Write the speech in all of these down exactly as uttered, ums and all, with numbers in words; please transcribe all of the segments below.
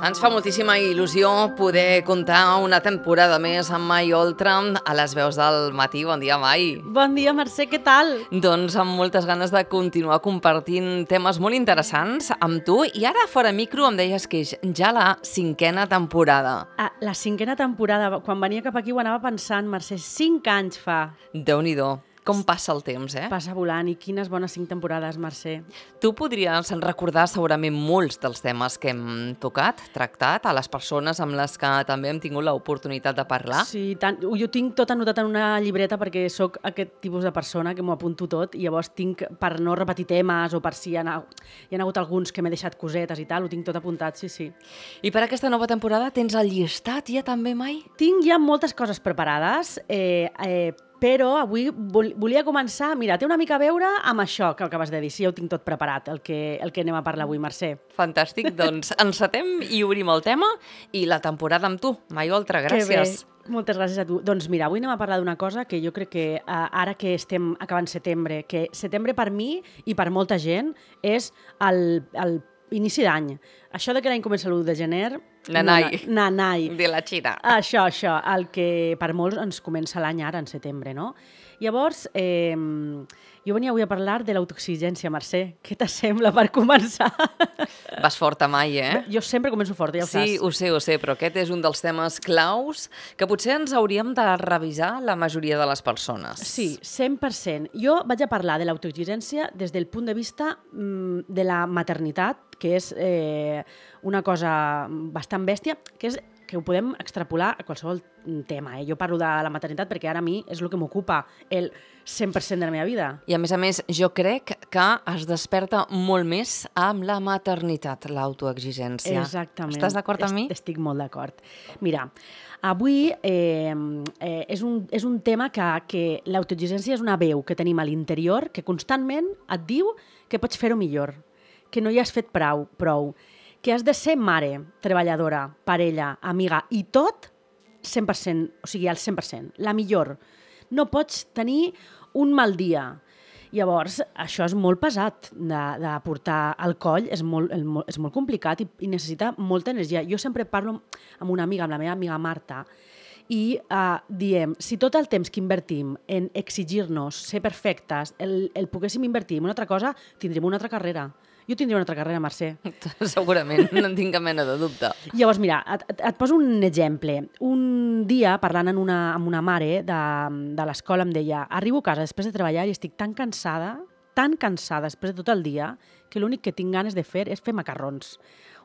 Ens fa moltíssima il·lusió poder comptar una temporada més amb Mai Oltra a les veus del matí. Bon dia, Mai. Bon dia, Mercè, què tal? Doncs amb moltes ganes de continuar compartint temes molt interessants amb tu. I ara, fora micro, em deies que és ja la cinquena temporada. Ah, la cinquena temporada. Quan venia cap aquí ho anava pensant, Mercè, cinc anys fa. Déu-n'hi-do. Com passa el temps, eh? Passa volant, i quines bones cinc temporades, Mercè. Tu podries recordar segurament molts dels temes que hem tocat, tractat, a les persones amb les que també hem tingut l'oportunitat de parlar. Sí, tant, jo tinc tot anotat en una llibreta perquè sóc aquest tipus de persona que m'ho apunto tot i llavors tinc, per no repetir temes o per si hi ha, hi ha hagut alguns que m'he deixat cosetes i tal, ho tinc tot apuntat, sí, sí. I per aquesta nova temporada tens el llistat ja també, Mai? Tinc ja moltes coses preparades, eh, eh, però avui vol, volia començar, mira, té una mica a veure amb això que acabes de dir, si ja ho tinc tot preparat, el que, el que anem a parlar avui, Mercè. Fantàstic, doncs encetem i obrim el tema i la temporada amb tu, Mai Oltra, gràcies. Que bé, moltes gràcies a tu. Doncs mira, avui anem a parlar d'una cosa que jo crec que eh, ara que estem acabant setembre, que setembre per mi i per molta gent és el, el inici d'any. Això de que l'any comença l'u de gener... Nanai. No, nanai. De la Xina. Això, això, el que per molts ens comença l'any ara, en setembre, no? Llavors, eh, jo venia avui a parlar de l'autoexigència, Mercè. Què t'assembla per començar? Vas forta, Mai, eh? Jo sempre començo forta, ja ho saps. Sí, ho sé, ho sé, però aquest és un dels temes claus que potser ens hauríem de revisar la majoria de les persones. Sí, cent per cent. Jo vaig a parlar de l'autoexigència des del punt de vista mm, de la maternitat, que és eh, una cosa bastant bèstia, que és que ho podem extrapolar a qualsevol tema. Eh? Jo parlo de la maternitat perquè ara a mi és el que m'ocupa el cent per cent de la meva vida. I a més a més, jo crec que es desperta molt més amb la maternitat, l'autoexigència. Exactament. Estàs d'acord amb mi? Estic molt d'acord. Mira, avui eh, eh, és, un, és un tema que, que l'autoexigència és una veu que tenim a l'interior que constantment et diu que pots fer-ho millor, que no hi has fet prou, prou, que has de ser mare, treballadora, parella, amiga, i tot cent per cent, o sigui, al cent per cent, la millor. No pots tenir un mal dia. Llavors, això és molt pesat de, de portar al coll, és molt, és molt complicat i, i necessita molta energia. Jo sempre parlo amb una amiga, amb la meva amiga Marta, i uh, diem, si tot el temps que invertim en exigir-nos, ser perfectes, el, el poguéssim invertir en una altra cosa, tindríem una altra carrera. Jo tindria una altra carrera, Mercè. Segurament, no en tinc cap mena de dubte. Llavors, mira, et, et, et poso un exemple. Un dia, parlant amb una, amb una mare de, de l'escola, em deia, arribo a casa després de treballar i estic tan cansada, tan cansada després de tot el dia, que l'únic que tinc ganes de fer és fer macarrons.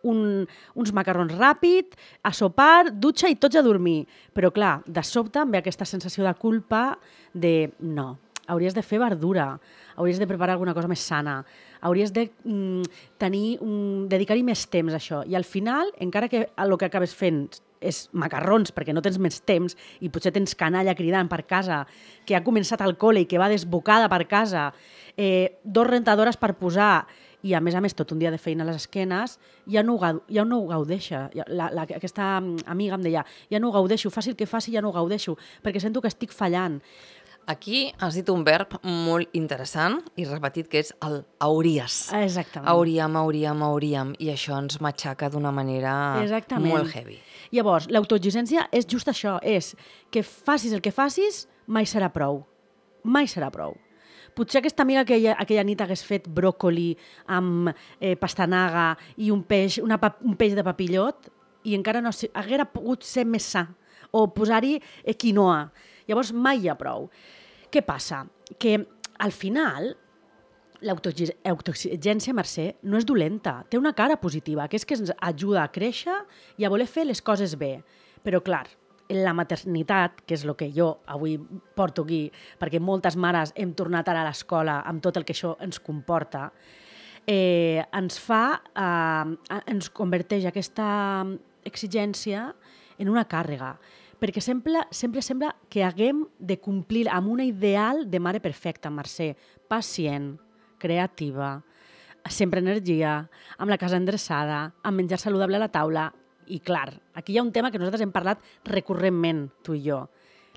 Un, uns macarrons ràpid, a sopar, dutxa i tots a dormir. Però clar, de sobte em ve aquesta sensació de culpa de no, hauries de fer verdura, hauries de preparar alguna cosa més sana, hauries de mm, tenir un, dedicar-hi més temps a això. I al final, encara que el que acabes fent és macarrons perquè no tens més temps i potser tens canalla cridant per casa, que ha començat al col·le i que va desbocada per casa, eh, dos rentadores per posar i a més a més tot un dia de feina a les esquenes, ja no ho, ja no ho gaudeixa. La, la, aquesta amiga em deia, ja no ho gaudeixo, faci el que faci, ja no ho gaudeixo, perquè sento que estic fallant. Aquí has dit un verb molt interessant i repetit, que és el hauries. Exactament. Hauríem, hauríem, hauríem. I això ens matxaca d'una manera Exactament. molt heavy. Llavors, l'autoexigència és just això, és que facis el que facis, mai serà prou. Mai serà prou. Potser aquesta amiga aquella, aquella nit hagués fet bròcoli amb eh, pastanaga i un peix, una, un peix de papillot i encara no haguera pogut ser més sa o posar-hi eh, quinoa. Llavors mai hi ha prou. Què passa? Que al final l'autoexigència, Mercè, no és dolenta, té una cara positiva, que és que ens ajuda a créixer i a voler fer les coses bé. Però clar, la maternitat, que és el que jo avui porto aquí, perquè moltes mares hem tornat ara a l'escola amb tot el que això ens comporta, eh, ens fa, eh, ens converteix aquesta exigència en una càrrega, perquè sempre, sempre sembla que haguem de complir amb una ideal de mare perfecta, Mercè, pacient, creativa, sempre energia, amb la casa endreçada, amb menjar saludable a la taula. I clar, aquí hi ha un tema que nosaltres hem parlat recurrentment, tu i jo.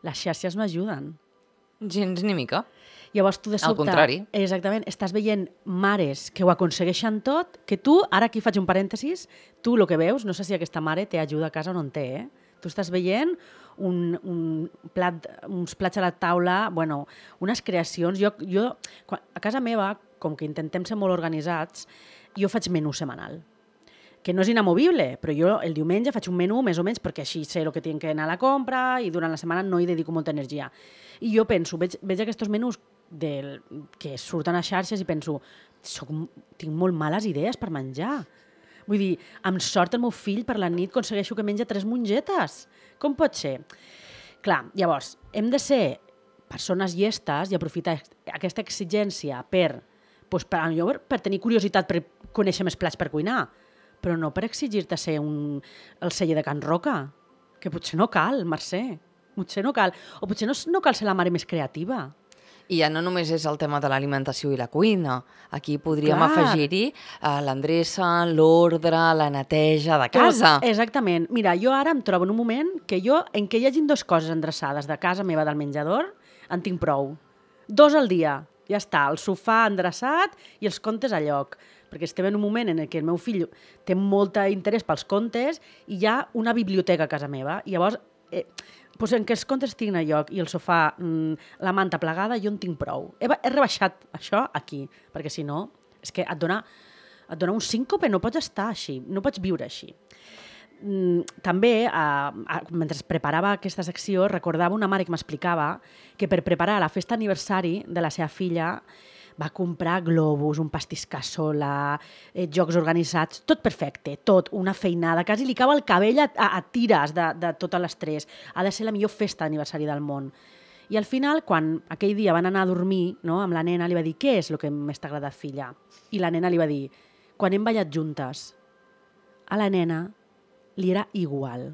Les xarxes no ajuden. Gens ni mica. Llavors tu de sobte... Al contrari. Exactament, estàs veient mares que ho aconsegueixen tot, que tu, ara aquí faig un parèntesis, tu el que veus, no sé si aquesta mare té ajuda a casa o no en té, eh? Tu estàs veient un, un plat, uns plats a la taula, bueno, unes creacions. Jo, jo, a casa meva, com que intentem ser molt organitzats, jo faig menú setmanal, que no és inamovible, però jo el diumenge faig un menú més o menys perquè així sé el que tinc que anar a la compra i durant la setmana no hi dedico molta energia. I jo penso, veig, veig aquests menús del, que surten a xarxes i penso, soc, tinc molt males idees per menjar. Vull dir, amb sort el meu fill per la nit aconsegueixo que menja tres mongetes. Com pot ser? Clar, llavors, hem de ser persones llestes i aprofitar aquesta exigència per, doncs, per, per tenir curiositat per conèixer més plats per cuinar, però no per exigir-te ser un, el celler de Can Roca, que potser no cal, Mercè, potser no cal, o potser no, no cal ser la mare més creativa. I ja no només és el tema de l'alimentació i la cuina. Aquí podríem Clar. afegir-hi uh, l'endreça, l'ordre, la neteja de casa. Tot, exactament. Mira, jo ara em trobo en un moment que jo, en què hi hagin dues coses endreçades de casa meva del menjador, en tinc prou. Dos al dia, ja està, el sofà endreçat i els contes a lloc. Perquè estem en un moment en què el meu fill té molt interès pels contes i hi ha una biblioteca a casa meva. I llavors, eh, doncs en què els contes estiguin a lloc i el sofà, mmm, la manta plegada, jo en tinc prou. He, he rebaixat això aquí, perquè si no, és que et dona, et dona un síncope, no pots estar així, no pots viure així. Mm, també, eh, mentre preparava aquesta secció, recordava una mare que m'explicava que per preparar la festa d'aniversari de la seva filla va comprar globus, un pastís cassola, eh, jocs organitzats, tot perfecte, tot, una feinada, quasi li cau el cabell a, a, a tires de, de totes les tres. Ha de ser la millor festa d'aniversari del món. I al final, quan aquell dia van anar a dormir, no, amb la nena, li va dir, què és el que més t'ha agradat, filla? I la nena li va dir, quan hem ballat juntes. A la nena li era igual.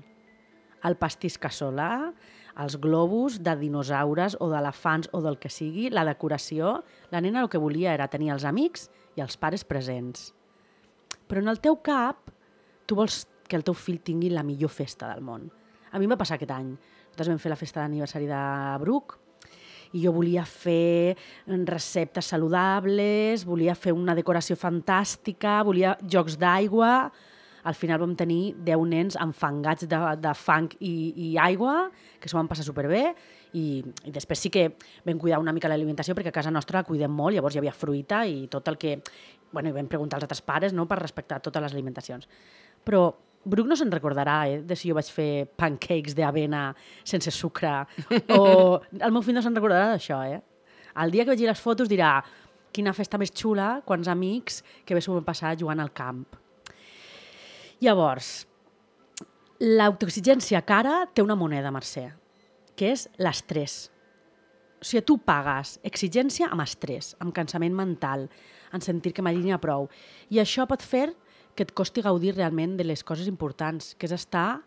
El pastís cassola, els globus de dinosaures o d'elefants o del que sigui, la decoració, la nena el que volia era tenir els amics i els pares presents. Però en el teu cap, tu vols que el teu fill tingui la millor festa del món. A mi em va passar aquest any. Nosaltres vam fer la festa d'aniversari de Bruc i jo volia fer receptes saludables, volia fer una decoració fantàstica, volia jocs d'aigua. Al final vam tenir deu nens enfangats de, de fang i, i aigua, que s'ho van passar superbé, i, i després sí que vam cuidar una mica l'alimentació, perquè a casa nostra la cuidem molt, llavors hi havia fruita i tot el que... Bueno, i vam preguntar als altres pares, no?, per respectar totes les alimentacions. Però Bruc no se'n recordarà, eh, de si jo vaig fer pancakes d'avena sense sucre, o el meu fill no se'n recordarà d'això, eh? El dia que vegi les fotos dirà quina festa més xula, quants amics que bé s'ho vam passar jugant al camp. Llavors, l'autoexigència cara té una moneda, Mercè, que és l'estrès. O sigui, tu pagues exigència amb estrès, amb cansament mental, en sentir que m'allinya prou. I això pot fer que et costi gaudir realment de les coses importants, que és estar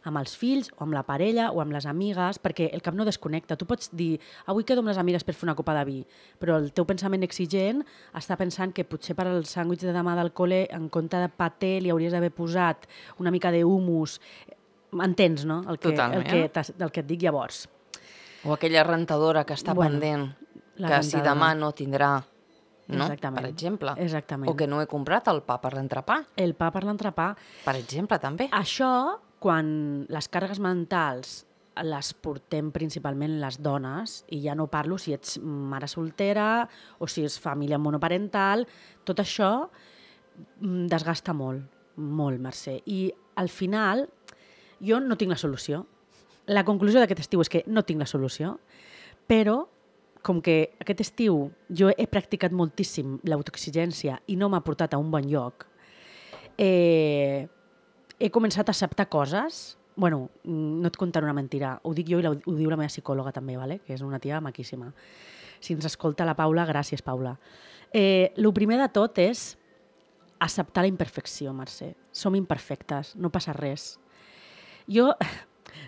amb els fills o amb la parella o amb les amigues, perquè el cap no desconnecta. Tu pots dir, avui quedo amb les amigues per fer una copa de vi, però el teu pensament exigent està pensant que potser per al sàndwich de demà del col·le, en compte de paté, li hauries d'haver posat una mica d'humus. Entens, no?, el que, el que, el que et dic llavors. O aquella rentadora que està bueno, pendent, que rentadora. Si demà no tindrà, no? Exactament. Per exemple. Exactament. O que no he comprat el pa per l'entrepà. El pa per l'entrepà. Per exemple, també. Això, quan les càrregues mentals les portem principalment les dones, i ja no parlo si ets mare soltera o si és família monoparental, tot això desgasta molt, molt, Mercè. I al final jo no tinc la solució. La conclusió d'aquest estiu és que no tinc la solució, però com que aquest estiu jo he practicat moltíssim l'autoexigència i no m'ha portat a un bon lloc, eh, he començat a acceptar coses. Bueno, no et contaré una mentira, ho dic jo i ho diu la meva psicòloga també, vale? Que és una tia maquíssima. Si ens escolta la Paula, gràcies, Paula. Eh, el primer de tot és acceptar la imperfecció, Mercè. Som imperfectes, no passa res. Jo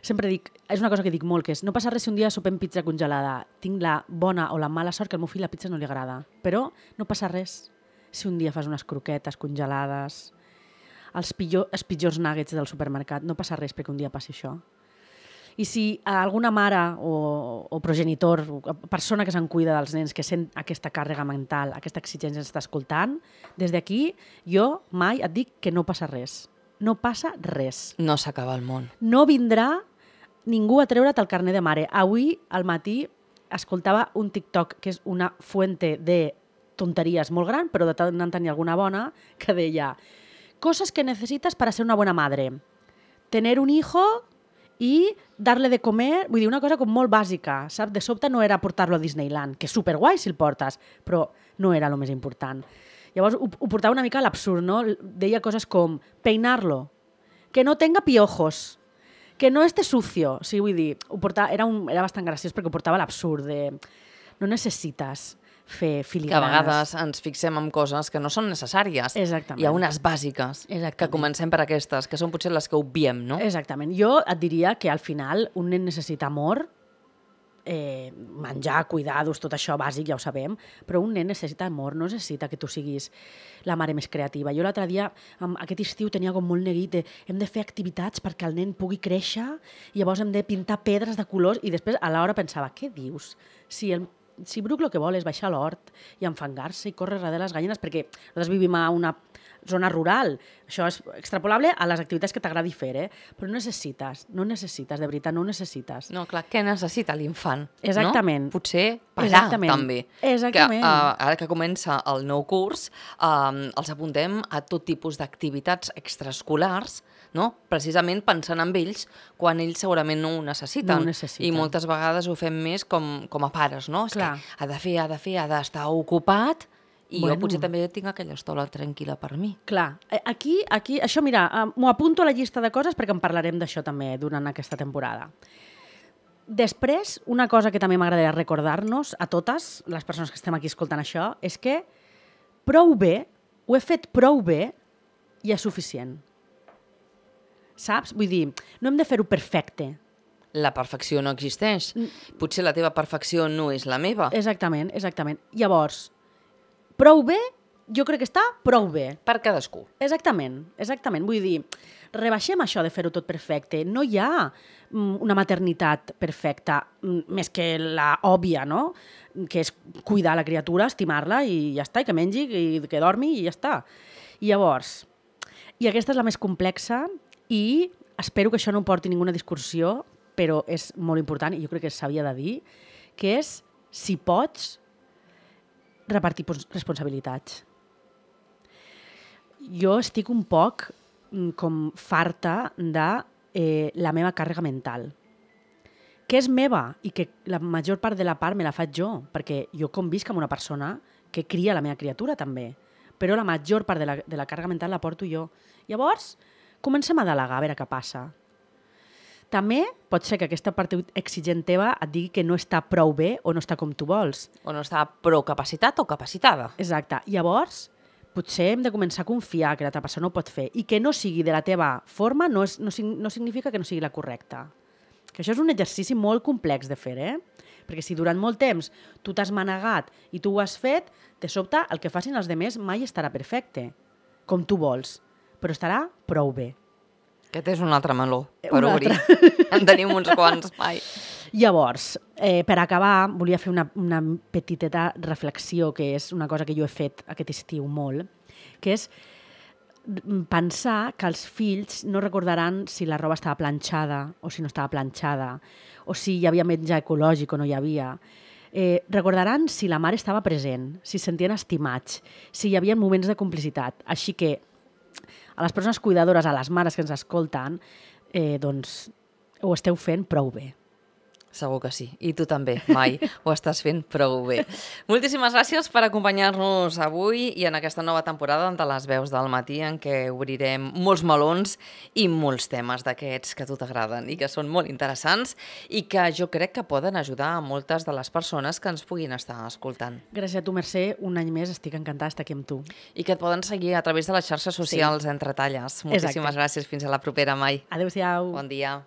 sempre dic, és una cosa que dic molt, que és no passa res si un dia sopem pizza congelada. Tinc la bona o la mala sort que al meu fill la pizza no li agrada. Però no passa res si un dia fas unes croquetes congelades, els, pitjor, els pitjors nuggets del supermercat. No passa res perquè un dia passi això. I si alguna mare o, o progenitor, o persona que se'n cuida dels nens, que sent aquesta càrrega mental, aquesta exigència està escoltant, des d'aquí jo mai et dic que no passa res. No passa res. No s'acaba el món. No vindrà ningú a treure't el carnet de mare. Avui, al matí, escoltava un TikTok, que és una fuente de tonteries molt gran, però de tant en tant hi ha alguna bona, que deia cosas que necesitas para ser una buena madre. Tener un hijo i darle de comer, vull dir, una cosa com molt bàsica, saps? De sobte no era portar-lo a Disneyland, que és superguai si el portes, però no era el més important. Llavors ho, ho portava una mica a l'absurd, no? Deia coses com peinarlo, que no tenga piojos, que no esté sucio. O sigui, vull dir, ho portava, era, un, era bastant graciós perquè ho portava a l'absurd de no necessites fer filigranes. Que a vegades ens fixem en coses que no són necessàries. Exactament. Hi ha unes bàsiques. Exactament. Que comencem per aquestes, que són potser les que obviem, no? Exactament. Jo et diria que al final un nen necessita amor, eh, menjar, cuidados, tot això bàsic, ja ho sabem, però un nen necessita amor, no necessita que tu siguis la mare més creativa. Jo l'altre dia, aquest estiu, tenia com molt neguit de hem de fer activitats perquè el nen pugui créixer i llavors hem de pintar pedres de colors i després a l'hora pensava, què dius? Si el Si Bruc el que vol és baixar a l'hort i enfangar-se i córrer darrere les gallines, perquè nosaltres vivim a una zona rural. Això és extrapolable a les activitats que t'agradi fer, eh? Però no necessites, no necessites, de veritat, no ho necessites. No, clar, què necessita l'infant? Exactament. No? Potser parar, Exactament. també. Exactament. Que, uh, ara que comença el nou curs, uh, els apuntem a tot tipus d'activitats extraescolars, no? Precisament pensant en ells quan ells segurament no ho necessiten. No ho necessiten. I moltes vegades ho fem més com, com a pares, no? És Clar. que ha de fer, ha de fer, ha d'estar ocupat i Bueno. jo potser també tinc aquella estona tranquil·la per mi. Clar, eh, aquí, aquí això, mira, eh, m'ho apunto a la llista de coses perquè en parlarem d'això també durant aquesta temporada. Després, una cosa que també m'agradaria recordar-nos a totes les persones que estem aquí escoltant això és que prou bé, ho he fet prou bé i és suficient. Saps? Vull dir, no hem de fer-ho perfecte. La perfecció no existeix. Potser la teva perfecció no és la meva. Exactament, exactament. Llavors, prou bé, jo crec que està prou bé. Per cadascú. Exactament, exactament. Vull dir, rebaixem això de fer-ho tot perfecte. No hi ha mm, una maternitat perfecta, mm, més que la òbvia, no? Que és cuidar la criatura, estimar-la i ja està, i que mengi, i que dormi i ja està. I llavors, i aquesta és la més complexa i espero que això no porti ninguna discussió, però és molt important i jo crec que s'havia de dir, que és, si pots, repartir responsabilitats. Jo estic un poc com farta de eh, la meva càrrega mental, que és meva i que la major part de la part me la faig jo, perquè jo convisc amb una persona que cria la meva criatura també, però la major part de la, de la càrrega mental la porto jo. Llavors, comencem a delegar, a veure què passa. També pot ser que aquesta part exigent teva et digui que no està prou bé o no està com tu vols. O no està prou capacitat o capacitada. Exacte. Llavors, potser hem de començar a confiar que l'altra persona ho pot fer i que no sigui de la teva forma no, és, no, no significa que no sigui la correcta. Que això és un exercici molt complex de fer, eh? Perquè si durant molt temps tu t'has manegat i tu ho has fet, de sobte el que facin els altres mai estarà perfecte, com tu vols, però estarà prou bé. Aquest és un altre meló per Un obrir. altre. En tenim uns quants, mai. Llavors, eh, per acabar, volia fer una, una petiteta reflexió, que és una cosa que jo he fet aquest estiu molt, que és pensar que els fills no recordaran si la roba estava planxada o si no estava planxada, o si hi havia menjar ecològic o no hi havia. Eh, recordaran si la mare estava present, si es sentien estimats, si hi havia moments de complicitat. Així que a les persones cuidadores, a les mares que ens escolten, eh, doncs ho esteu fent prou bé. Segur que sí. I tu també, Mai, ho estàs fent prou bé. Moltíssimes gràcies per acompanyar-nos avui i en aquesta nova temporada de les veus del matí en què obrirem molts melons i molts temes d'aquests que a tu t'agraden i que són molt interessants i que jo crec que poden ajudar a moltes de les persones que ens puguin estar escoltant. Gràcies a tu, Mercè. Un any més estic encantada d'estar aquí amb tu. I que et poden seguir a través de les xarxes socials sí. Entre talles. Moltíssimes Exacte. Gràcies. Fins a la propera, Mai. Adéu-siau. Bon dia.